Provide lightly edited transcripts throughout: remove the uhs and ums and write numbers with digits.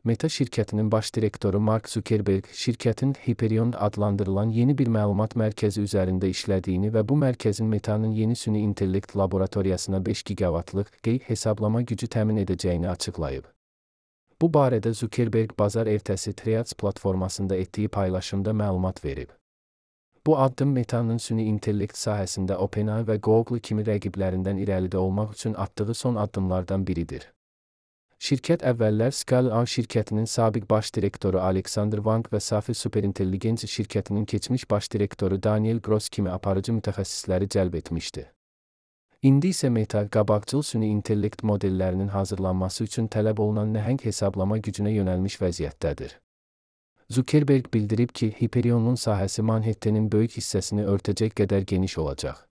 Meta şirkətinin baş direktoru Mark Zuckerberg, şirkətin Hyperion adlandırılan yeni bir məlumat mərkəzi üzərində işlədiyini və bu mərkəzin Meta'nın yeni süni intellekt laboratoriyasına 5 gigavatlıq hesablama gücü təmin edəcəyini açıqlayıb. Bu barədə Zuckerberg bazar ertəsi Threads platformasında etdiyi paylaşımda məlumat verib. Bu addım Meta'nın süni intellekt sahəsində OpenAI və Google kimi rəqiblərindən irəlidə olmaq üçün atdığı son addımlardan biridir. Şirkət əvvəllər Scale-AI şirkətinin sabiq baş direktoru Alexander Wang və Safi Superintelligenci şirkətinin keçmiş baş direktoru Daniel Gross kimi aparıcı mütəxəssisləri cəlb etmişdi. İndi isə Meta, qabaqcıl süni intellekt modellərinin hazırlanması üçün tələb olunan nəhəng hesablama gücünə yönəlmiş vəziyyətdədir. Zuckerberg bildirib ki, Hyperion'un sahəsi Manhattan'ın böyük hissəsini örtəcək qədər geniş olacaq.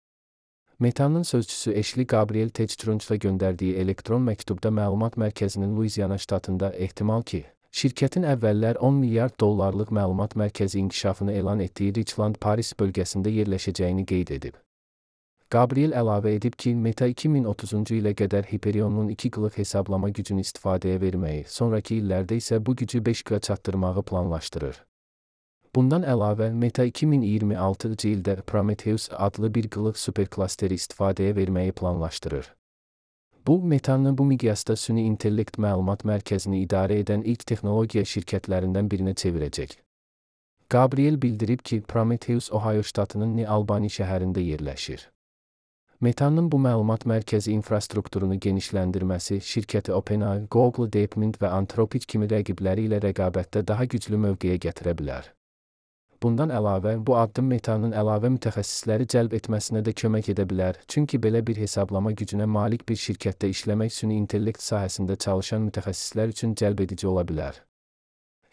Meta'nın sözçüsü Ashley Gabriel Techtrunch'la göndərdiyi elektron məktubda məlumat mərkəzinin Louisiana ştatında ehtimal ki, şirkətin əvvəllər 10 milyard dollarlıq məlumat mərkəzi inkişafını elan etdiyi Richland, Paris bölgəsində yerləşəcəyini qeyd edib. Gabriel əlavə edib ki, Meta 2030-cu ilə qədər Hyperion'un 2 qlıq hesablama gücünü istifadəyə verməyi, sonraki illərdə isə bu gücü 5 qığa çatdırmağı planlaşdırır. Bundan əlavə, Meta 2026-cı ildə Prometheus adlı bir qlıq superklasteri istifadəyə verməyi planlaşdırır. Bu, Meta'nı bu miqyasda süni intellekt məlumat mərkəzini idarə edən ilk texnologiya şirkətlərindən birinə çevirəcək. Gabriel bildirib ki, Prometheus Ohio ştatının New Albany şəhərində yerləşir. Meta'nın bu məlumat mərkəzi infrastrukturunu genişləndirməsi şirkəti OpenAI, Google, DeepMind və Anthropic kimi rəqibləri ilə rəqabətdə daha güclü mövqeyə gətirə bilər. Bundan əlavə, bu addım Meta'nın əlavə mütəxəssisləri cəlb etməsinə də kömək edə bilər, çünki belə bir hesablama gücünə malik bir şirkətdə işləmək süni intellekt sahəsində çalışan mütəxəssislər üçün cəlbedici ola bilər.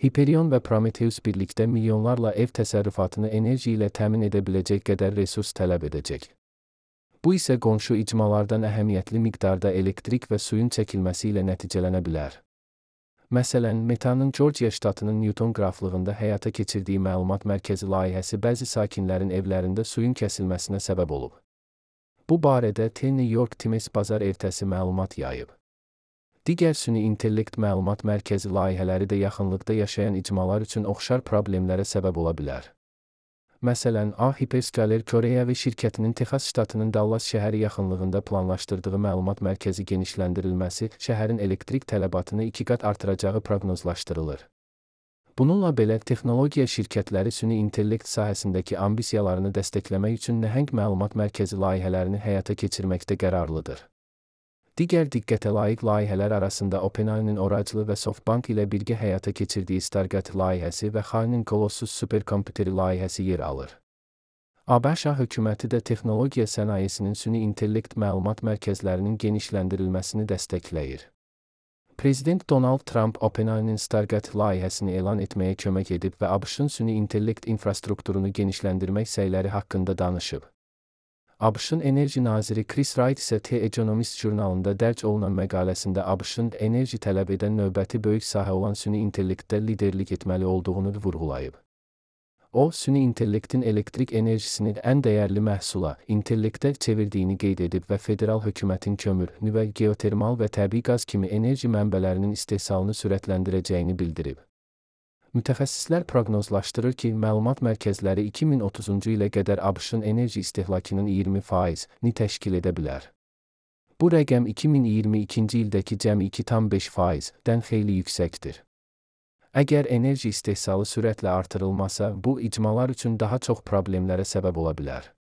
Hyperion və Prometheus birlikdə milyonlarla ev təsərrüfatını enerji ilə təmin edə biləcək qədər resurs tələb edəcək. Bu isə qonşu icmalardan əhəmiyyətli miqdarda elektrik və suyun çəkilməsi ilə nəticələnə bilər. Məsələn, Meta'nın Georgia ştatının Newton qraflığında həyata keçirdiyi məlumat mərkəzi layihəsi bəzi sakinlərin evlərində suyun kəsilməsinə səbəb olub. Bu barədə The New York Times bazar ertəsi məlumat yayıb. Digər süni intellekt məlumat mərkəzi layihələri də yaxınlıqda yaşayan icmalar üçün oxşar problemlərə səbəb ola bilər. Məsələn, Hyperscaler Koreyavi şirkətinin Texas ştatının Dallas şəhəri yaxınlığında planlaşdırdığı məlumat mərkəzi genişləndirilməsi şəhərin elektrik tələbatını 2 qat artıracağı proqnozlaşdırılır. Bununla belə, texnologiya şirkətləri süni intellekt sahəsindəki ambisiyalarını dəstəkləmək üçün nəhəng məlumat mərkəzi layihələrini həyata keçirməkdə qərarlıdır. Digər diqqətə layiq layihələr arasında OpenAI'nin Oracle və SoftBank ilə birgə həyata keçirdiyi Stargate layihəsi və Xainin Colossus superkompüteri layihəsi yer alır. ABŞ hökuməti də texnologiya sənayesinin süni intellekt məlumat mərkəzlərinin genişləndirilməsini dəstəkləyir. Prezident Donald Trump OpenAI'nin Stargate layihəsini elan etməyə kömək edib və ABŞ-ın süni intellekt infrastrukturunu genişləndirmək səyləri haqqında danışıb. ABŞ-ın enerji naziri Chris Wright isə The Economist jurnalında dərc olunan məqaləsində ABŞ-ın enerji tələb edən növbəti böyük sahə olan süni intellektdə liderlik etməli olduğunu vurğulayıb. O, süni intellektin elektrik enerjisini ən dəyərli məhsula, intellektə çevirdiyini qeyd edib və federal hökumətin kömür, nüvə, geotermal və təbii qaz kimi enerji mənbələrinin istehsalını sürətləndirəcəyini bildirib. Mütəxəssislər proqnozlaşdırır ki, məlumat mərkəzləri 2030-cu ilə qədər ABŞ-ın enerji istehlakının 20%-ni təşkil edə bilər. Bu rəqəm 2022-ci ildəki cəmi 2,5%-dən xeyli yüksəkdir. Əgər enerji istehsalı sürətlə artırılmasa, bu icmalar üçün daha çox problemlərə səbəb ola bilər.